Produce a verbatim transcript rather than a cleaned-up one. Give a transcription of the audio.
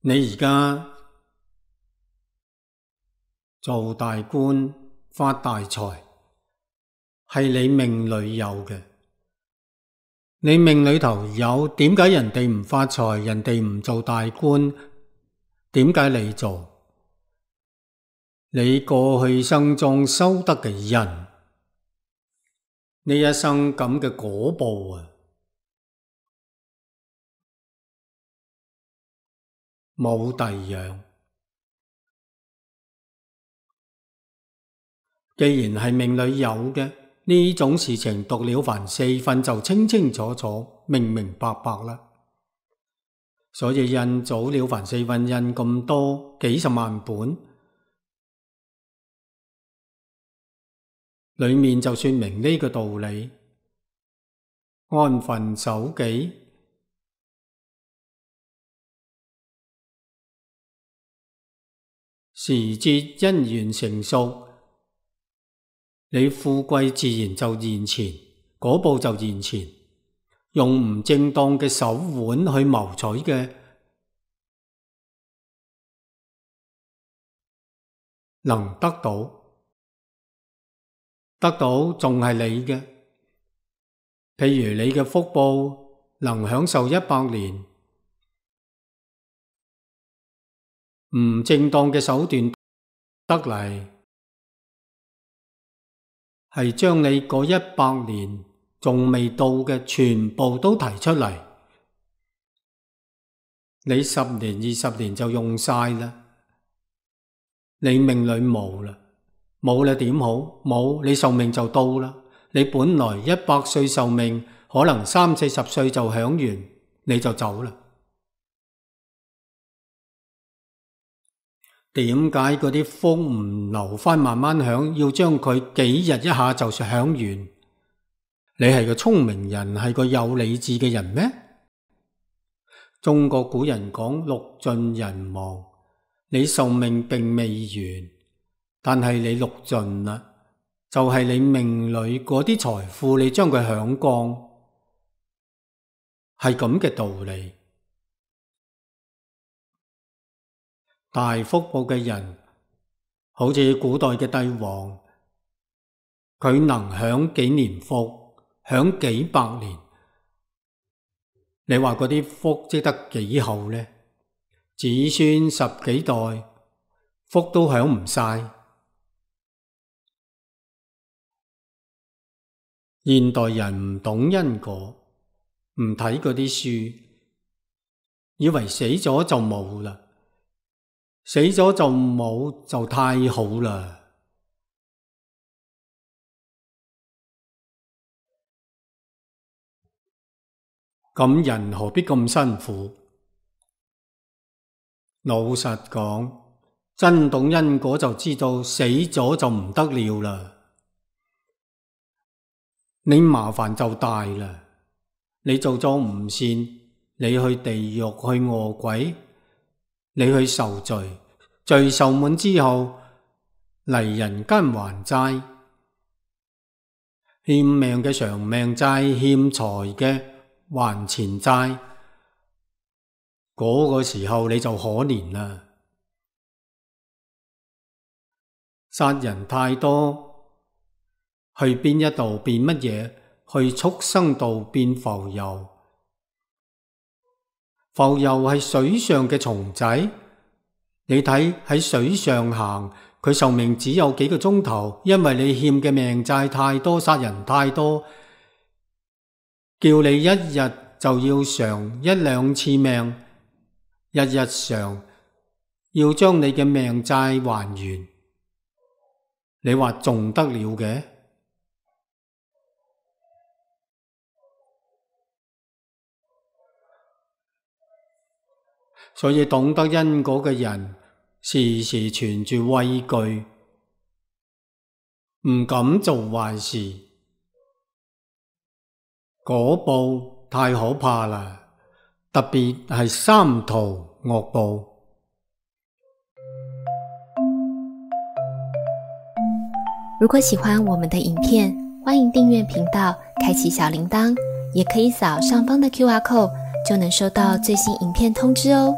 你而家做大官發大財，係你命裏有嘅。你命裏頭有，點解人哋唔發財，人哋唔做大官，點解你做？你過去生中修得嘅因，呢一生咁嘅果報啊，冇第二樣。既然係命裏有嘅，呢種事情讀了凡四訓就清清楚楚、明明白白啦。所以印祖了凡四訓印咁多，幾十萬本，裏面就說明呢個道理。安分守己，時節因緣成熟，你富貴自然就現前，果報就現前。用唔正當嘅手腕去謀取嘅，能得到，得到仲係你嘅。譬如你嘅福報能享受一百年，唔正當嘅手段得嚟，係將你嗰一百年仲未到嘅全部都提出嚟，你十年二十年就用晒啦，你命裏冇啦，冇啦點好？冇，你壽命就到啦。你本來一百歲壽命，可能三四十歲就享完，你就走啦。點解嗰啲福唔留返慢慢享，要將佢幾日一下就享完？你係個聰明人，係個有理智嘅人咩？中國古人講六盡人亡，你壽命並未完，但係你六盡啦，就係你命裏嗰啲財富，你將佢享光，係咁嘅道理。大福報嘅人，好似古代嘅帝王，佢能享幾年福？享幾百年，你話嗰啲福積得幾厚呢？子孫十幾代福都享唔晒。現代人唔懂因果，唔睇嗰啲書，以為死咗就冇啦，死咗就冇就太好啦。咁人何必咁辛苦？老實講，真懂因果就知道死咗就唔得了啦。你麻煩就大啦。你做咗唔善，你去地獄去餓鬼，你去受罪，罪受滿之後嚟人間還債，欠命嘅償命債，欠財嘅還錢債，嗰個時候你就可憐啦。殺人太多，去邊一度變乜嘢？去畜生道變浮游。浮游係水上嘅蟲仔，你睇喺水上行，佢壽命只有幾個鐘頭，因為你欠嘅命債太多，殺人太多，叫你一日就要償一兩次命，日日償，要將你嘅命債還完，你話仲得了嘅？所以懂得因果嘅人，時時存住畏懼，唔敢做壞事。果報太可怕啦，特別係三途惡報。如果喜歡我們的影片，歡迎訂閱頻道，開啟小鈴鐺，也可以掃上方的 Q R code，就能收到最新影片通知哦。